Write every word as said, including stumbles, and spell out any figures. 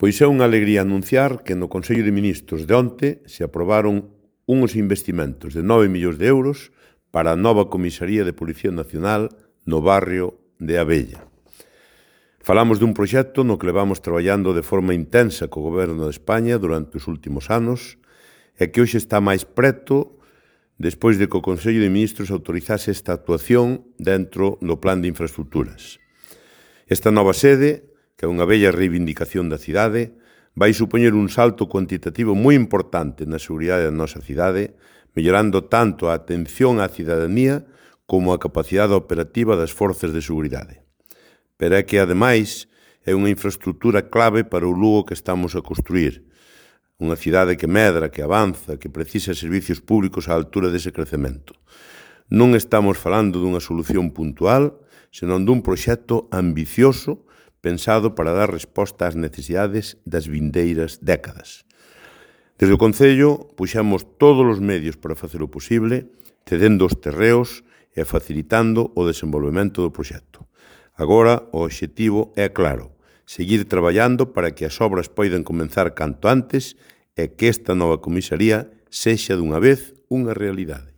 Pois é unha alegría anunciar que no Consello de Ministros de onte se aprobaron uns investimentos de nove millóns de euros para a nova Comisaría de Policía Nacional no barrio de Abella. Falamos dun proxecto no que levamos traballando de forma intensa co Goberno de España durante os últimos anos e que hoxe está máis preto despois de que o Consello de Ministros autorizase esta actuación dentro do Plan de Infraestructuras. Esta nova sede, que é unha bella reivindicación da cidade, vai supoñer un salto cuantitativo moi importante na seguridade da nosa cidade, mellorando tanto a atención á cidadanía como a capacidade operativa das forzas de seguridade. Pero é que, ademais, é unha infraestructura clave para o Lugo que estamos a construir. Unha cidade que medra, que avanza, que precisa servicios públicos á altura dese crecemento. Non estamos falando dunha solución puntual, senón dun proxecto ambicioso pensado para dar resposta ás necesidades das vindeiras décadas. Desde o Concello, puxemos todos os medios para facer o posible, cedendo os terreos e facilitando o desenvolvemento do proxecto. Agora, o obxectivo é claro, seguir traballando para que as obras poidan comenzar canto antes e que esta nova comisaría sexa dunha vez unha realidade.